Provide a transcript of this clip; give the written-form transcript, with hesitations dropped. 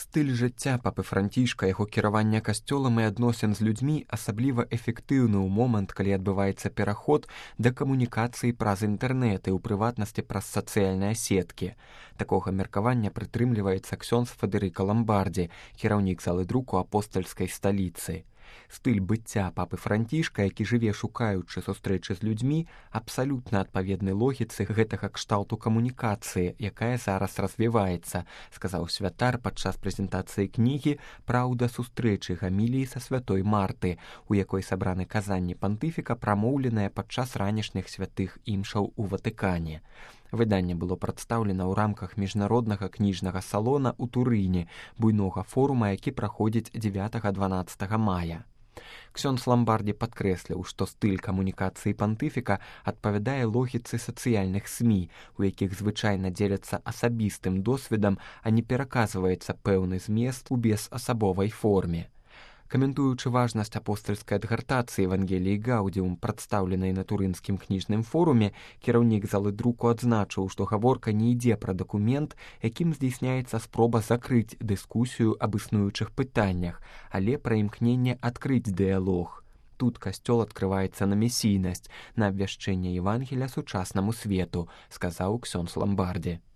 Стыль жыцця папы Францішка, яго кіравання касцёлам і адносін з людзьмі асабліва эфектыўны ў момант, калі адбываецца пераход да камунікацыі праз інтэрнэт і ў прыватнасці праз сацыяльныя сеткі. Такога меркавання прытрымліваецца ксёндз Федэрыка Ламбардзі, кіраўнік залы друку апостальскай сталіцы. Стыль быцця папы Францішка, які жыве шукаючы сустрэчы з людзьмі, абсалютна адпаведны логіцы гэтага кшталту камунікацыі, якая зараз развіваецца, сказаў святар падчас прэзентацыі кнігі «Праўда сустрэчы» гаміліі са святой Марты, у якой сабраны казанні пантыфіка, прамоўленыя падчас ранішніх святых імшаў у Ватыкане. Выданне было прадстаўлена ў рамках міжнароднага кніжнага салона ў Турыне, буйнога форума, які праходзіць 9-12 мая. Ксёндз Ламбардзі падкрэсліў, што стыль камунікацыі пантыфіка адпавядае логіцы сацыяльных СМІ, у якіх звычайна дзеляцца асабістым досведам, а не пераказваецца пэўны змест у безасабовай форме. Каментуючы важнасць апостальскай адгартацыі Евангеліі Гаўдзіум, прадстаўленай на турынскім кніжным форуме, кіраўнік залы друку адзначыў, што гаворка не ідзе пра дакумент, якім здзейсняецца спроба закрыць дыскусію аб існуючых пытаннях, але пра імкненне адкрыць дыялог. Тут касцёл адкрываецца на месійнасць, на абвяшчэнне Евангелія сучаснаму свету, сказаў ксёндз Ламбардзі.